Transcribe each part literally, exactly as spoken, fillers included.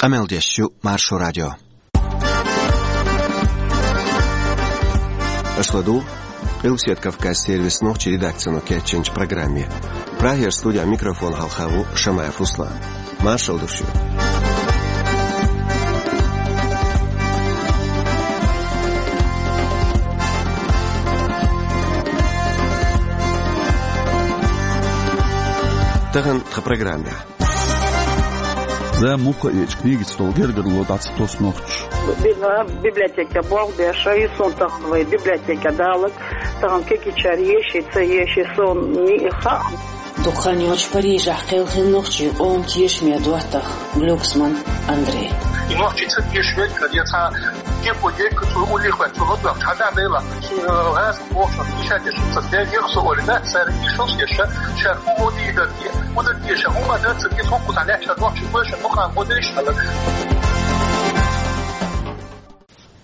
Къамел деш ю Маршо радио. Аша ладугӀу Къилбаседа Кавказан сервисан нохчийн редакцино кечйинчу программе. Прагера студехь микрофон хьалха ву Шамаев Руслан. Маршалла ду шуьга. Тахана тхан программехь. Зама муха а эцча, книгица долу гергарло дӀа ца тосу нохчаша. Бина библиотекехь болх беш, и суна тахана вай библиотекехь даларг, тахана кегийчара еший, ца еший, суна ниъ хаьа. Дукха хан йоццуш Парижехь кхелхина нохчийн къоман тешаме доттагӀа Глюксман Андрей. И нохчий ца тешаме, я цхьа кепо дерг, цо уллехь ваьлла, цо лодваьлла, хьажа а дела, шен гӀаза бохуш, иша деш, ца дегӀ со олий, да, цара иша деш, ша, ша, хӀун гӀо дийр дара те, хӀун дара те, ша, хӀун ма дара, ца деза, хӀун кхузахь лаьтташ нохчий вай, ша, дукха гӀо дара иша, аьлла.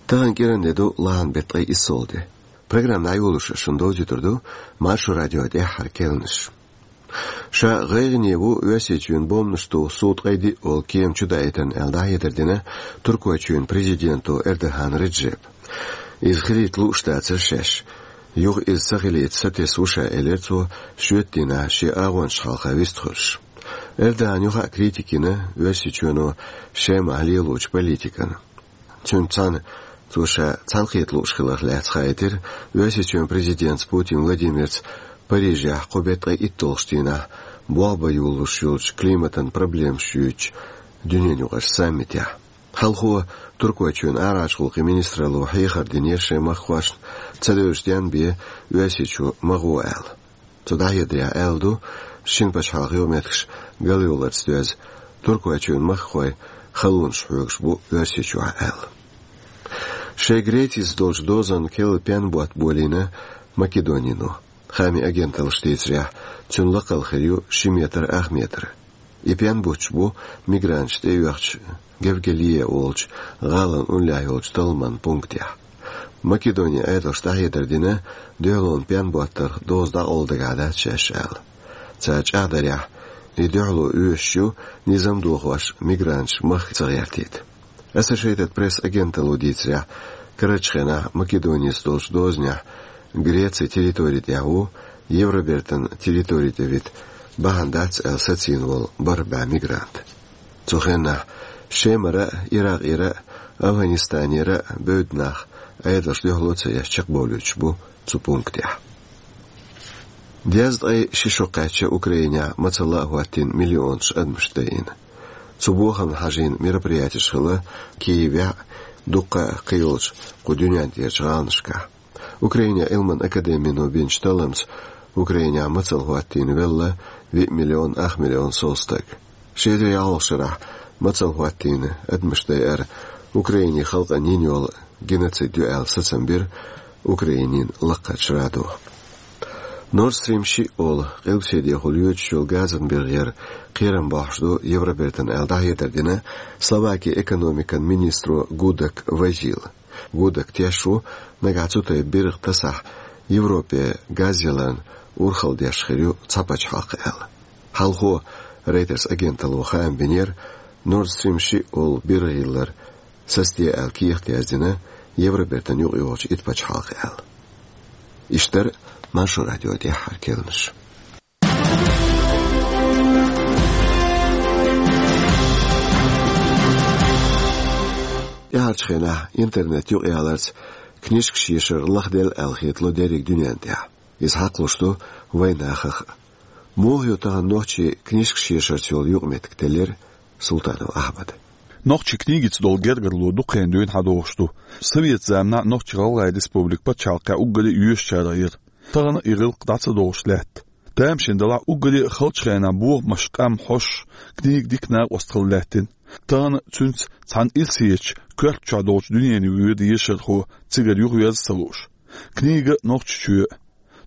Тахана кӀиранде ду лахьан беттан ткъе иссалгӀа де. Программа дӀайолош шуна довзуьйтур ду Маршо радион тӀаьххьара керланаш. Ша гӀайгӀане ву Оьрсийчоьнан бомбанаш туху суо ткъе диъ олу кема чудаийтарна аьлла дӀахьедар дина Туркойчоьнан президенто Эрдоган Реджепа. Иза хилийта лууш дацара шаьш. Юха иза ца хилийта сатесна ву ша, элира цо, шоьтан дийнахь шен агӀончашна хьалха вистхуьлуш. Эрдогана юха а критика йина Оьрсийчоьно Шемахь лелочу политикана. Цуьнца цхьаьна цо ша цхьаьнакхета лууш хиларх лаьцна хаийтира Оьрсийчоьнан президентаца Путин Владимирца Парижехь кху беттан ткъе итталгӀачу дийнахь болх бан йолалуш йолчу климатан проблемаш юьйцучу дуьненан юкъарчу саммитехь. Хьалхо Туркойчоьнан арахьарчу гӀуллакхийн министралло хьехар динера шайн махкахошна, ца девзаш денна бен Оьрсийчу ма гӀо аьлла. Цо дӀахьедарехь аьлла ду, шина пачхьалкхан юкъаметтигаш галйовларца доьзна, Туркойчоьнан махкахой халонаш хьоьгуш бу Оьрсийчохь аьлла. Шайн Грецица долчу дозанна керла пенботт болийна Македонино. Хаамийн агенталлаша дийцарехь, цуьнан лакхалла хир ю ши метр ах метр. И пенботт бу мигранташ тӀеоьхучу Гевгелие олучу гӀалин уллехь йолчу талламан пунктехь. Македонин Ӏедалша дӀахьедар дина, дуьхьалонан пенботтах доза дӀакъовла дагахь дац шаьш аьлла. Цара чӀагӀдарехь, и дуьхьало оьшуш ю, низам дохош мигранташ махка ца гӀертийта. Associated Press агенталло дийцарехь, карарчу хенахь Македонеца долчу дозанехь Грецин территори тӀехь ву, Евробертан территори тӀе вита бахьана дац аьлла сацийна волу бархӀ бӀе мигрант. Цу хенахь Шемара а, Иракъера а, Афганистанера а бевдда нах Ӏедалша дуьхьало ца еш чекхбовлуьйтуш бу цу пунктехь. Дезткъе ши шо кхаьчна Украинехь мацалла а хӀоттийна миллионаш адамаш дайина. Цу бохамна хьажийна мероприятеш хилла Киевехь а, дуккха а кхийолчу кху дуьнен тӀерачу гӀаланашкахь. Украинан Ӏилманан академино бинчу талламца Украинехь мацалла хӀоттийна велла виъ миллион ах миллион сов стаг. Ши эзар ялхалгӀачу шарахь мацалла хӀоттийна адамаш дайар Украинин халкъана йина йолу геноцид ю аьлла сацам бира Украинин лакхарчу радо. Nord Stream шиъ олу къилбаседехула йоьдуш йолу газан биргӀера кхерам бохьуш ду Евробертана аьлла дӀахьедар дина Словакин экономикан министро Гудак Вазила. Гудак теш ву, нагахь цу тайпа биргӀа тасахь, Европе газ яларна урхалла деш хир ю цхьа пачхьалкх аьлла. Хьалхо Reuters агенталло хаам бинера, Nord Stream шиъ олу биргӀа йиллар сацаде аьлла кехат яздина Евробертан юкъайогӀучу итт пачхьалкх аьлла. Иштта дара Маршо радион тӀаьххьара керланаш. ТӀаьхьарчу хенахь интернет юкъаяларца книжкаш ешар лахделла аьлла хетало дерриг дуьнен тӀехь. Иза хьакхалуш ду вайн нахах а. Муха ю тахана нохчийн книжкаш ешарца йолу юкъаметтиг, теллира Султанов Ахьмада. Нохчийн книгица долу гергарло дукха хан дуьйна хьадогӀуш ду. Совет заманахь Нохч-ГӀалгӀайн Республика пачхьалкхехь уггаре а йоьшучарах яра. Тахана и гӀиллакх дӀа ца догӀуш лаьтта. Тамашийна делахь, уггаре а халчу хенахь бохамаш, къам, хьош, книга дика накъост хила лаьттина. Тахана цуьнца цхьана ирсечу коьрта чохь долчу дуьненан юкъа воьду ешархо, цигара юхавеза а ца лууш. Книга Нохчийчоь а.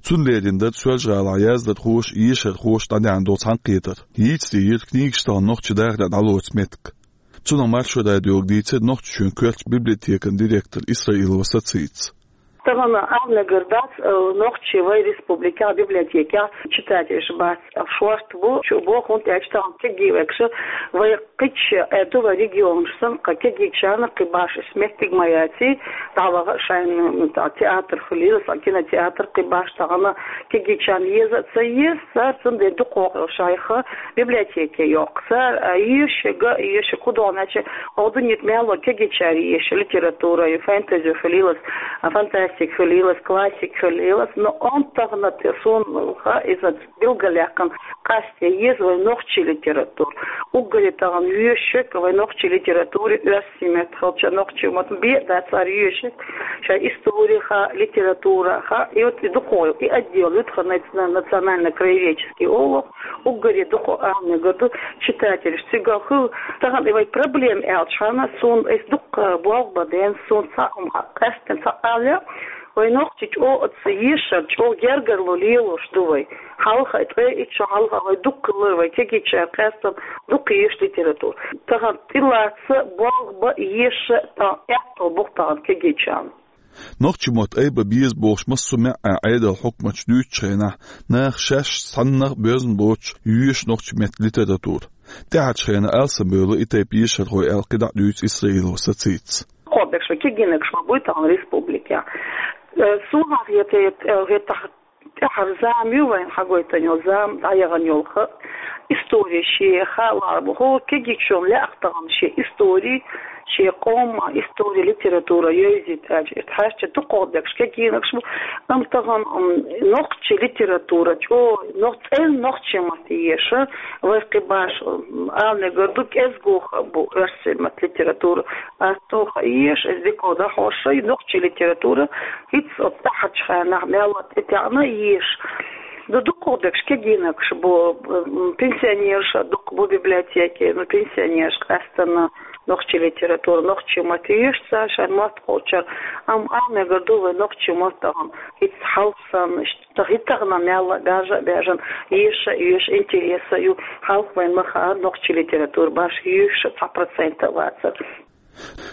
Цунна лерина дара Соьлжа-ГӀалахь яздархоша, ешархоша дӀадаьхьна долу цхьаьнакхетар. Йийца дийра книгаш тахана нохчийн дахарехь дӀалоцу меттиг. Цунах Маршо радиога дийцира Нохчийчоьнан коьртачу библиотекан директор Исраилова Сацица. Тахана ала мегар дац, э, нохчий вай республикехь библиотекехь читателаш бац, шорта бу, чу бу, хӀунда аьлча тахана кегий векша вай кхечу, э, ду вай регионаш санна, кху кегийчарна кхин башха меттиг ма яций, дӀаваха шайна, м, та-, театр хуьлийла, сан кинотеатр кхин башха тахана кегийчарна еза а ца еза, цара цундела дукхох йолу шайх библиотеке йоккху. Цара, а, езаш, га езаш, хӀун догӀу аьлча, хӀокху дуьненахь мел а кегийчара езаш литература, ю фэнтези хуьлийла, а, фантастика хуьлийла, классика хуьлийла, но он тахана те суна ха иза билгалъяьккхина, къасте еза вай нохчий литература. Уггаре тахана вешшек вай нохчий литературе оьрсийн меттан хилча, нохчий маттан бен а дац цара вешшек, шайн истори ха, литература ха, и вот и дукхойла, и отдел ю тхан наци-, национально-краеведческий олу, уггаре дукха ала мегар ду читателаш. Цигахь хӀу тахана и вай проблема аьлча хьана, суна эс дукха болх бан ден, суна цхьа хӀума къаьстина цхьа алле, вай нохчий чӀогӀа оцу ешар, чӀогӀа гергарло лелош ду вай. Хьалха, ткъе итт шо хьалха вай дукха лар, вай кегийчара къаьстина дукха езаш литература. Тахана тӀелаца болх бан, еша тахана аьтто бу тахана кегийчарна. Нохчийн мотт айба беза бохуш, массо а маьӀӀехь Ӏедалан хьукматаш дуьйцучу хенахь, наха шаьш цхьаннах а боьзна боцуш, езаш нохчийн меттан литература. ТӀаьхьарчу хенахь алсамбевлла и тайпа ешархой аьлла кхидӀа а дуьйцу Исраилова Сацита. Кхобекш вай кегийнарш ма буй тахана республикехь. Э, суна хета, хета, хета тахана тӀаьхьара зама ю вайна хьагойтина йолу, зама дӀаяхана йолу ха, истори шен хаа лаьа бу. ХӀора кегийчунна лаьа тахана шен истори, шен къоман истори, литература йовзийта аьлча, и тхьаьрча дукхох декъаш кегийнарш бу. Амма тахана, м, нохчийн литература, чӀо-, нох-, цӀена нохчийн матте еша, вай кхин башха, м, ала мегар ду, кӀезгуха бу оьрсийн маттан литература. Ас тоха еш, эс дика дӀахьош, шайн нохчийн литература, хӀинца оцу тӀаьхьарчу хенахь мел а тӀетаьӀна еш. Ду дукхох декъаш кегийнарш бу, м, пенсионерш а дукха бу библиотеке, ну, пенсионерш къаьстина нохчийн литература, нохчийн матте еш цара шайн мотт кхочура. Амма ала мегар ду вай нохчийн мотт тахана хӀинца хьалха санна, иштта хӀинца тахана мел а баьржа а баьржина, еша а еш, интереса а ю, хьалха вайна ма хаара нохчийн литература башха еш цхьа процент а вацара.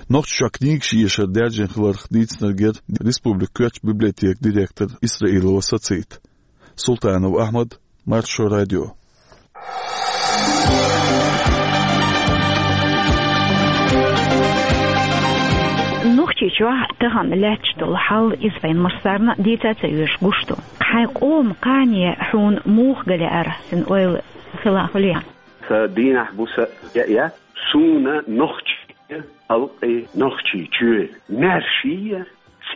Нохчийчохь книгаш ешар даьржина хиларх дийцинарг яра республикан коьртачу библиотекан директор Исраилова Сацита. Султанов Ахьмад, Маршо радио. Нохчийчохь тахана лаьтташ долу хьал, иза вайн массарна а дийца ца оьшу гуш ду. Хьайн къоман кхане хьуна муха ган лаьара, хьайн ойла хила хуьлий? Сан дийнахь бу сан яа, суна нохчийн халкъан, нохчийн чоь маьрша а,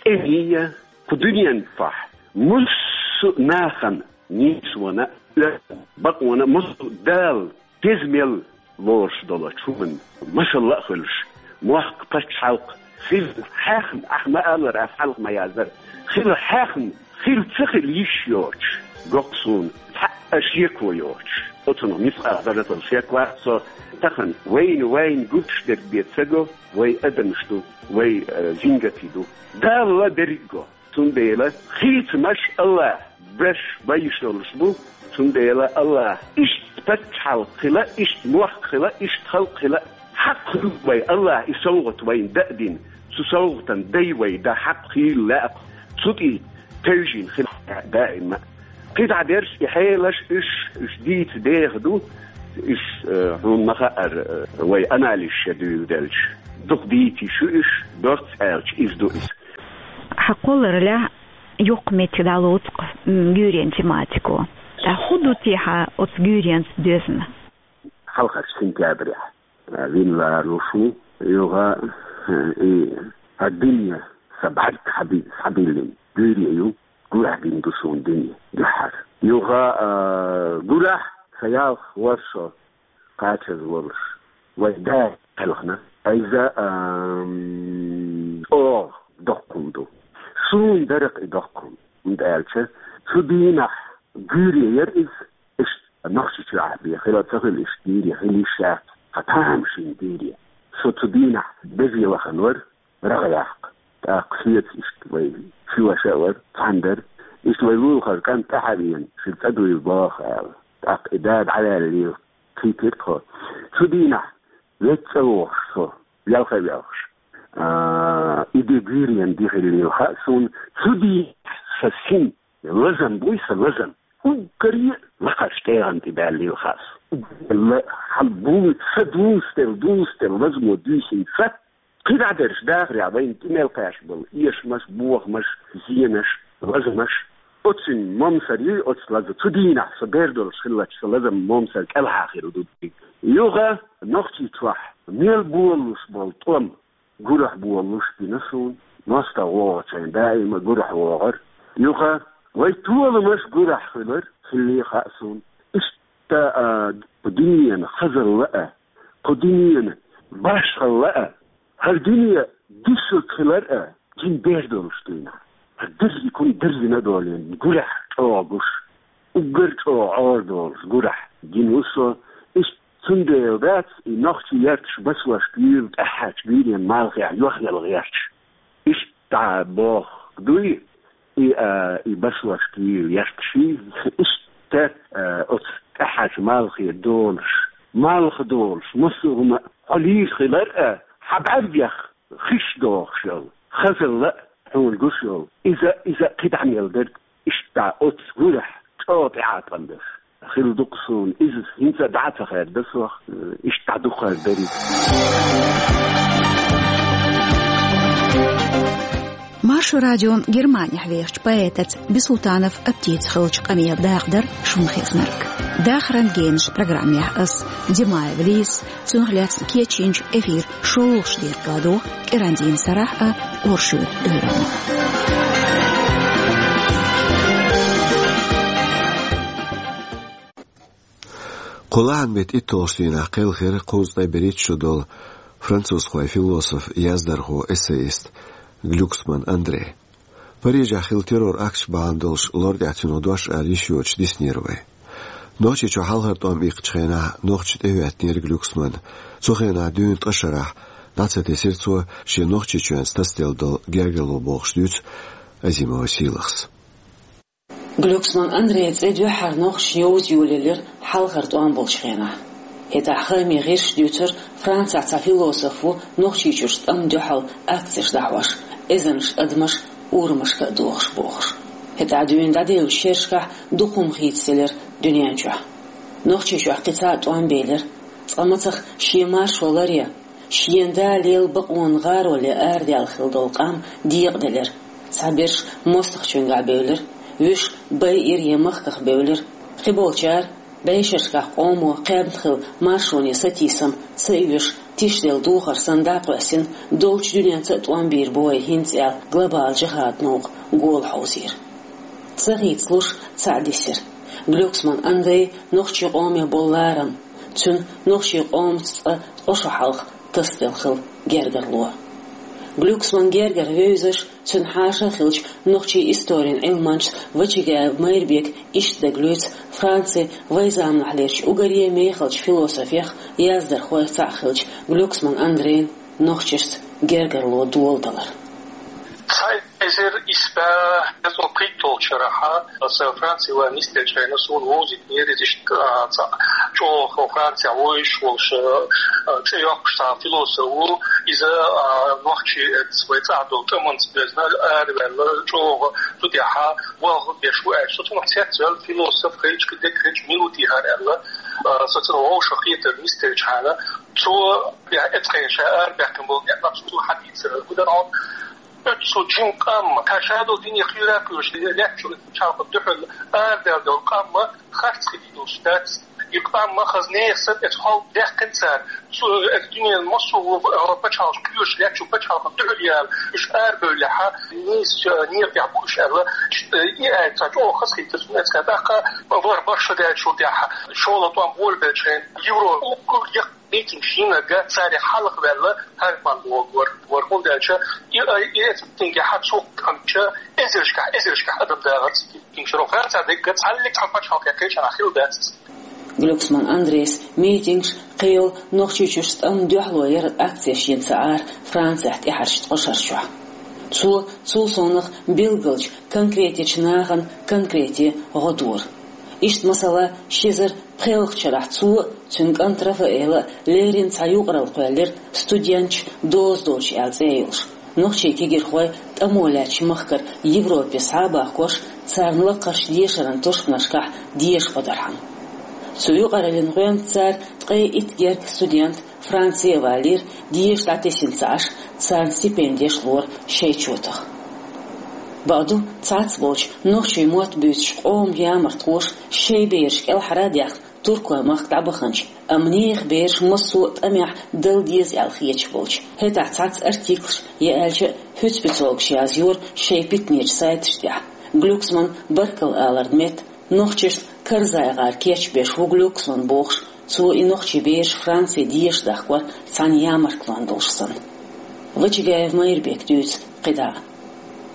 цӀена а, кху дуьненан тӀехь массо а нахана, нийсонан а, бакъонан а, массо а Дала деза мел лоруш долчу хӀуманна машалла а хуьлуш, мохк, пачхьалкх хила хьехна, ахь ма-аллара, ас хьалха ма-яздара, хила хьехна, хила ца хила йиш йоцуш, гохку суна цхьа а шеко йоцуш. Оцунах мискъал зарратал шек вац со. Тахана вайна, вайна гуш дерг бен ца го, вай адамаш ду, вай, э, жингатий ду. Далла берриг го. Цундела хийцамаш АллахӀа беш бан йиш йолуш бу. Цундела АллахӀа иштта пачхьалкх хила, иштта мохк хила, иштта халкъ хила, хьакъ хуьлу вай, АллахӀа и совгӀат вайна даа дина. Цу совгӀатан дай вай дан хьакъ хийла лаьа, цу тӀе тевжина хила даима. КхидӀа берш и хьелаш, уьш, уьш дийца деха ду, уьш, э, хьуна ма хаара, э, вай анализаш дуьйладелча. Дукха дийца йиш ю уьш, доцца аьлча, иза ду иза. Хьан кхолларалехь, йоккха меттиг дӀалоцу-кх, м, гуьйренан тематико. Ткъа хӀун ду те хьан оцу гуьйренца доьзна? Хьалхарчу сентябрехь, а, вина лоруш ву, юха, а, и хьан дуьне сан бӀаьрг хьаби-, схьабиллина гуьйре ю, гурахь бина ду суна дуьне дуьххьара. Юха, а, гурахь сан ялх ворхӀ шо кхачаза волуш, вай да кхелхина. Иза, ам, чӀогӀа доккха хӀума ду. Суна дара-кх и доккха хӀума, хӀунда аьлча цу дийнахь гуьйре яра иза, иштта Нохчийчохь бен хила ца хила иштта гуьйре хила йиш яц, хьан тамашийна гуьйре. Со цу дийнахь безе вахана вара, рагӀ яккха. ТӀаккха соьца иштта вай ши ваша а вара, цхьаьна дара. Иштта вай лулахара кӀант тӀаьхьа а веана, шуьга цӀа дуйла боху аьлла. ТӀаккха и да дӀаваьллера, кхийтира тхо. Цу дийнахь веццӀа вохуш со, велха а велхаш. А, И де гуьйренан ди хилла хаьа суна, цу дийнахь сан син лазам буй, сан лазам. Уггаре а лакхарчу тӀегӀан тӀе баьлла хаьа суна. Уггар хьал бу, сан дузделла, дузделла лазамо дуьйсина сан. КхидӀа дерш дахарехь вайна тӀе мел кхаьчна болу эшамаш, бохамаш, зенаш, лазамаш. Оццуьнан момсар ю оцу лазам. Цу дийнахь со бер долуш хиллачу сан лазам момсар кӀелхьа хир ду. Юха Нохчийчохь мел болалуш болу тӀом гурахь болалуш бина суна. МостагӀа вогӀучу хенахь даима гурахь вогӀура. Юха вай толамаш гурахь хилар, хилла хаьа суна. Иштта, а, кху дуьненан хазалла а, кху дуьненан башхалла а, хӀара дуьне дисург хилар а, жин бер долуш дуьйна. ХӀара дерриг хӀума дерзина а долийна, гурахь чӀогӀа гуш, уггар чӀогӀа Ӏора долуш гурахь гина ву со. Иштта цундела дац и нохчийн ярташ басошка юьйлу тӀаьххьарчу гуьйренан малхехь йохъяла гӀерташ. Иштта бохург дуй, и, а, и басошка юьйлу ярташ, иштта, а, оцу тӀаьххьарчу малхе долуш, малх долуш, массо а хӀума хьо лийр хилар а, хьан бӀаьргех хиш дохуш йолу хазалла а хьуна гуш йолу. Иза, иза кхидӀа мел дерг, иштта оцу гурахь чӀогӀа тӀеӀаткъам беш хилла ду-кх суна. Иза хӀинца а дӀа а ца хаьрда сох, иштта дӀа дукха хаза дерг. Маршо радион Германехь вехачу поэтаца Бисултанов Аптица хиллачу къамелан дакъа дара шуна хезнарг. Дахаран генаш программехь ас, Димаева Лиза, цунах лаьцна кечйинчу эфиран шолгӀачу декъе ладугӀу кӀиран дийнан сарахь а, оршотан уьйранна. Кху лахьан беттан итталгӀачу дийнахь кхелхира кхузткъе берхӀитта шо долу французхойн философ, яздархо, эссеист Глюксман Андрей. Парижехь хилла террор-акташ бахьана долуш лор тӀехь цуьнан дош ала йиш йоцуш диснера вай. Нохчийчохь хьалхара тӀом иккхачу хенахь нохчаша тӀехӀоьттинера Глюксман. Цу хенахь дуьйна ткъа шарахь дӀа ца тесира цо шен Нохчийчоьнца тасаделла долу гергарло, бохуш дуьйцу Азимова Сийлахьс. Глюксман Андрейн цӀе дуьххьара нохчашна йовза йолаелира хьалхара тӀом болчу хенахь. ХӀетахь хаамийн гӀирсаша дуьйцура, Францехь цхьа философ ву Нохчийчуьрчу тӀамна дуьхьал акцеш дӀахьош, эзарнаш адамаш урамашка а дохуш, бохуш. ХӀетахь дуьйна дӀадевллачу шерашкахь дукха хӀума хийцаделира дуьнен чохь. Нохчийчохь кхин цхьа а тӀом белира, цкъа мацах шен маршо ларъян, шена да лела бакъонан гӀароле арадаьлла хилла долу къам декъаделира. Цхьаберш мостагӀчуьнгахь бевлира, вуьш байъира я махках бевлира. Кхиболчара, бӀешерашкахь къомо кхаьбна хилла маршоне сатийсам ца оьшуш, тишделла духар санна дӀакхоьссина, долчу дуьненца а тӀом бийр бу вай хӀинца аьлла, глобалан жихӀадан новкъа гола хьовзийра. Ца хийцалуш цхьаъ дисира: Глюксман Андрейн нохчийн къоме болу ларам, цуьнан нохчийн къомаца цкъа ткъа шо хьалха тасаделла хилла гергарло. Глюксман гергара вевзаш, цуьнан хьаша а хиллачу нохчийн историн Ӏилманчас Вачагаев Майрбека иштта дагалоьцу Францин вайн заманахьлерчу уггаре мехалчу философех, яздархойх цхьаъ хиллачу Глюксман Андрейн нохчашца гергарло доладалар. Цхьа эзар исс бӀе пхийтталгӀачу шарахь аса Франце ван нисделлачу хенахь суна вовзийтинера иза иштта, а, цхьа чӀогӀа Францехь вуьйш волуш, а, цӀе йоккхуш цхьа философ ву. Иза, а, нохчий, э, вай цӀахь долу тӀаманца доьзна араваьлла, чӀогӀа цу тӀехь болх беш ву аьлла. Со цунах цецваьлла, философ хилча, кхидерг хилча, мила ву техьара аьлла, а, со цунах вовшахкхетар нисделлачхьана, цо, я, эцкъе ша арабаьхкина болу некъ цо хьадийцар, хӀун дара хьуна? Оццул жима къам, тхан ша долу дуьне кхуьйра кхуьйсуш лаьттачу пачхьалкхан дуьхьал арадаьлла долу къам харц хилла долуш дац. И къам хаза нехан санна эцу хьал даьккхина цара. Цу, э, дуьненан массо а, э, пачхьалкхаш кхоьруш лаьттачу пачхьалкхан дуьхьал яла, уьш арабевллехь, нийса, э, некъа тӀехь бу уьш аьлла, э, и аьлла цхьа чӀогӀа хаза хилла цунна эцкъе. ТӀаккха вара барх шо даьллачул тӀаьхьа, шолгӀа тӀом болабеллачу хенахь, Европа уггар яккха митинг йинарг царех хьалха ваьлла Герман вогӀура, вара, хӀунда аьлча и, и эцу митингехь цу къамча эзаршкахь, эзаршкахь адам дахара цу митингера. Францехь дерг цхьаллиг цхьана пачхьалкхе кхечанхьа хилла дац. Глюксман Андрейс митингаш, кхийолу Нохчийчуьрчу тӀамна дуьхьало яра акцеш йина ца Ӏара Францехь тӀаьхьарчу ткъа шарчохь. Цо цул совнаха билгалчу конкретечу нахана конкрете гӀо дора. Иштта, масала, ши эзар пхоьалгӀачу шарахь цо а, цуьнан кӀанта Рафаэла а леррина цхьа юкъаралла кхоьллира, студенташ доза доцуш аьлла цӀе йолуш. нохчий кегийрхой тӀамо лаьттача махкара Европе схьа а бахкош, царна лакхарча дешаран тушканашкахь деша гӀо дархьама. Цу юкъараллин гӀоьнца цара ткъе итт герга студент Франце а валийра, деша дӀатесна ца Ӏаш, царна стипендеш лора шайн чотах. Бакъду, цхьацца болча нохчий мотт буьйцуча къоман ямартхоша шайн бераш кӀелхьара а даьккхина, туркойн махка дӀабаханча, амма нехан бераш массо а тӀамехь дала деза аьлла хеташ болча, хӀетахь цхьацца артиклаш, е аьлча а, хӀуьцпицолгаш язйора шайн питанеча сайташ тӀехь. Глюксман баркалла аларна метта, нохчашна КарзагӀар кечбеш ву Глюксман бохуш, цо и нохчий бераш Франце деша дахкор цхьана ямартлонна долуш санна. Вачагаев Майрбека дуьйцу кхидӀа а.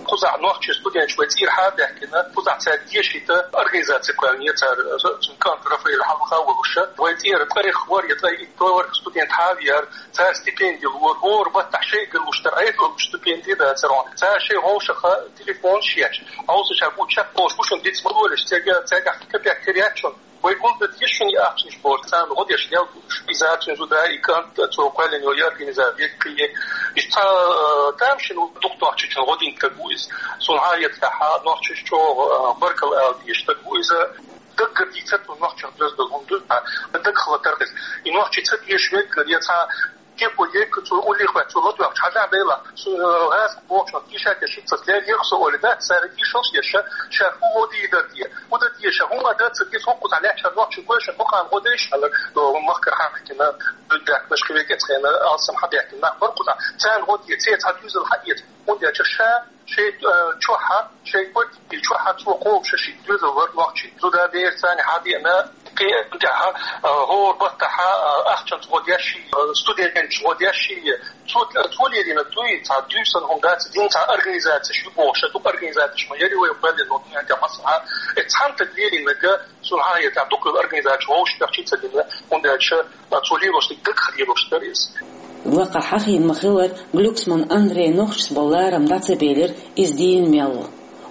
Кхузахь нохчий студенташ вай цӀера хьа а баьхкина, кхузахь цаьрга дешийта организаци кхоьллина цара, цуьнан кӀант Рафаэль хьалха а волуш, вай цӀера ткъе хӀора я ткъе итт студент хьа а веара, цара стипенди лора, хӀора баттахь шайгара луш дара, Ӏедалан луш стипенди дацара хьуна. Цара шайн вовшахтеха телефонаш еш, хьовса ша бу чекхболуш бу шуна диц ма лолаш, цаьрга, цаьргахь кхин капек тера яц шуна. Вай гулдан деза шуна и ахчанаш бохуш, царна гӀо деш лелла бу уьш. Иза цуьнан зуда, и кӀант, цо кхоьллина йолу организаци, веккхий. Иштта цхьа, э, тамашийна ву дукха нохчочун гӀо дина стаг ву иза. Суна хьан а яцахь, нохчаша чӀогӀа, э, баркалла ала дезаш стаг ву иза. Даггара дийцар цо нохчех доьзна долу хӀума ду, дагахь латар иза. И нохчий ца деша веггара, я цхьа кепо егга цо уллехь ваьлла, цо ладоьгӀча хьажахь дела, цо, э, гӀазкхи бохучунах тийшар деш, хӀинца леррина со олий дац, цара тийшалш деш, ша, ша хӀун гӀо дийр дара те, хӀун дан те, ша хӀума дан ца деза, хӀокхузахь лаьттачара нохчий гой, шайн бакъана гӀо дайша аьлла, э, махкара хьахкина, дуьйна даьккхинарш кхин векӀецхена алсам хьабаьхкина нах бара кхузахь. Царна гӀо де, церан цхьа доьзал хьаэца, хӀунда аьлча ша шайн, э, чохь, шайн партин чохь цо кхобуш ши доьзал вара нохчий. Зуда, бер царна хьадеана, кхин тӀаьхьа, а, хӀора баттахь, а, ахчанца гӀо деш, а, студенташа гӀо деш, цо, цо лелийна дуй, цхьа дуьйцу санна хӀума дац, дина цхьа организацеш ю бохуш, дукха организацеш ма яра вай кхоьллина, ну, тӀе массанхьа, э, цхьана стага лелийнарг, суна хьан а яцахь, дукха организацеш вовшахтех чу ца дина, хӀунда аьлча, а, цо лелош дерг дагахь лелош дара иза. Лакхахь хьахийна ма-хиллара, Глюксман Андрейн нохчашца болу ларам дӀа ца белира, иза дийна мел ву.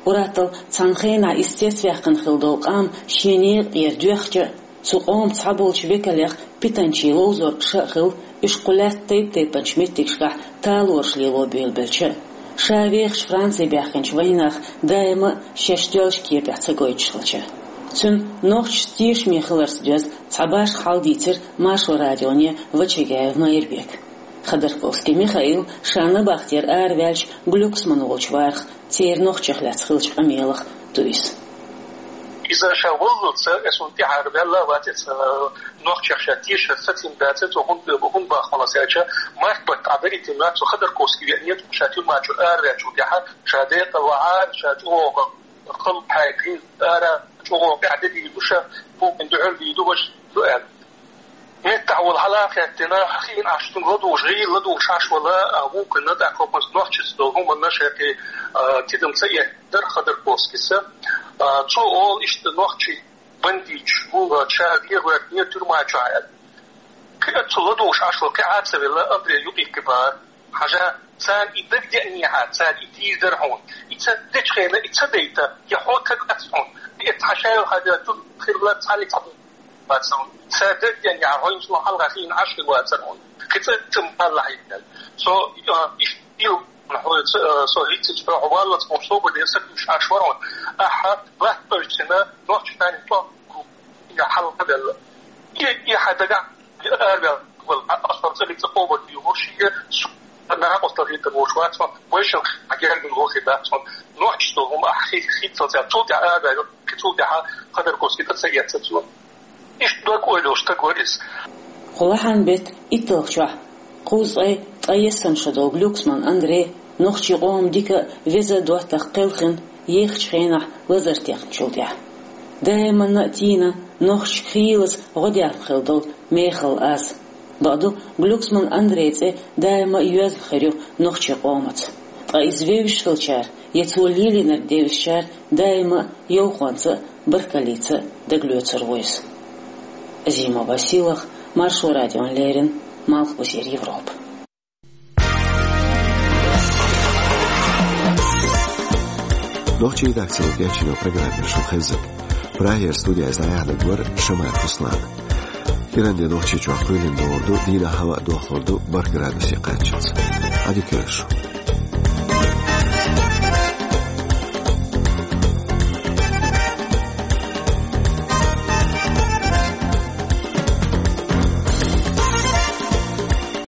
Уьттазза цхьана хенахь иза цецваьккхина хилла долу къам шен некъа тӀера доьхча а, цу къоман цхьаболчу векалех питанчийн ловзоргаш а хилла, уьш кху лаьттан тайп-тайпанчу меттигашкахь талораш лело буьйлабелча а, ша вехаш Франце баьхкинчу вайнаха даима а шаьш доьлчу кепехь ца гойтуш хилча а. Цуьнан нохчашца тешаме хиларца доьзна цхьа башха хьал дийцира Маршо радионе Вачагаев Майрбека. Ходорковский Михаил ша набахтера араваьлча Глюксман волчу варах, церан нохчех лаьцна хиллачу къамелах ду иза. Иза ша валлалц, э, суна тӀаьхьара ваьлла а вац иза, э, нохчех ша тешар сацийна дац, цо хӀунда, хӀунда боху аьлча, март баттахь Ӏадаритина вац, цо Ходорковский веана, ша тюрьма чуьра араваьллачул тӀаьхьа, ша декъала вахьа, ша чӀогӀа халла хьаькхина ара, чӀогӀа къаьхьа де дийр ду ша, букъин дуьхьал дийр ду, важа ду аьлла. Меттахь волу хьала а хаьттина, хиъна Ӏаш цунга ладугӀуш, гӀийла ладугӀуш Ӏаш вала, а, вукхунна тӀаккха хӀокхунца нохчашца долу хӀуманна шайкхий, а, тидам ца эттара Ходорковскийс. А, цо олу иштта нохчий бандиташ бу, а, ша вегӀоьртнера тюрьма чохь аьлла. Кхин а цо ладугӀуш Ӏаш вала, кхин Ӏа а ца велла, Андрей юкъе кхин бара. Хьажа, царна и дагадеанехьа, цара и дийр дара хьуна. И ца дечу хенахь, и ца дайта, я хьо таг вац хьуна. И цхьа шайла хьажа, тур хилла цхьа ли цхьа бац хьуна. Цара дагадеанехьа, хьо хӀинца хьалха хиъна Ӏаш хир вацара хьуна. Кхин цӀа ца малла хьийна. Со, а, иштта дийла хьо, ца, а, со хӀинца чу хьо валлалц хьуна собар дер сатуьйсуш Ӏаш вара хьуна. Ахьа, латташ цина, нохча тани тӀом, я хьалха белла. И, и хьан дагахь Араваьлла, ас хӀара цӀа лица къобал дийр ву шига, со накъостал хӀиттар волуш вац хьо, вайшиннах гергана вохийр дац хьо. Нохчашца долу хӀума ахь хи-, хиттал цара. Цул тӀаьхьа араваьлла, кхин цул тӀаьхьа Ходорковский тӀе ца эцна цо. Иштта дог-ойла йолуш стаг вара иза. Кху лахьан беттан итталгӀачохь, кхузткъе ткъаессана шо долу Глюксман Андрей, нохчийн къоман дика а, веза а доттагӀа кхелхина, ехачу хенахь лазар техначул тӀаьхьа. Даиманна а тийна, нохчашка хийлаза гӀо дехна хилла долу мехала аз. Бакъду, Глюксман Андрейн цӀе даима а йоьзна хир ю нохчийн къомаца. Ткъа иза вевзаш хиллачара, я цо лелийнарг девзачара даима а йовхонца а, баркаллица а дагалоцур ву иза. Азимова Силах, Маршо радиона леррина, Малхбузера Европа. Нохчийн редакцино кечйина программа шуна хезира. Прагера студехь дӀаяьхьнарг вара Шамаев Руслан. ИранДе Нохчийчохь кхоьлина догӀур ду, дийнахь хӀаваъ дохлур ду бархӀ градусе кхаччалц. Ӏадика йойла шу.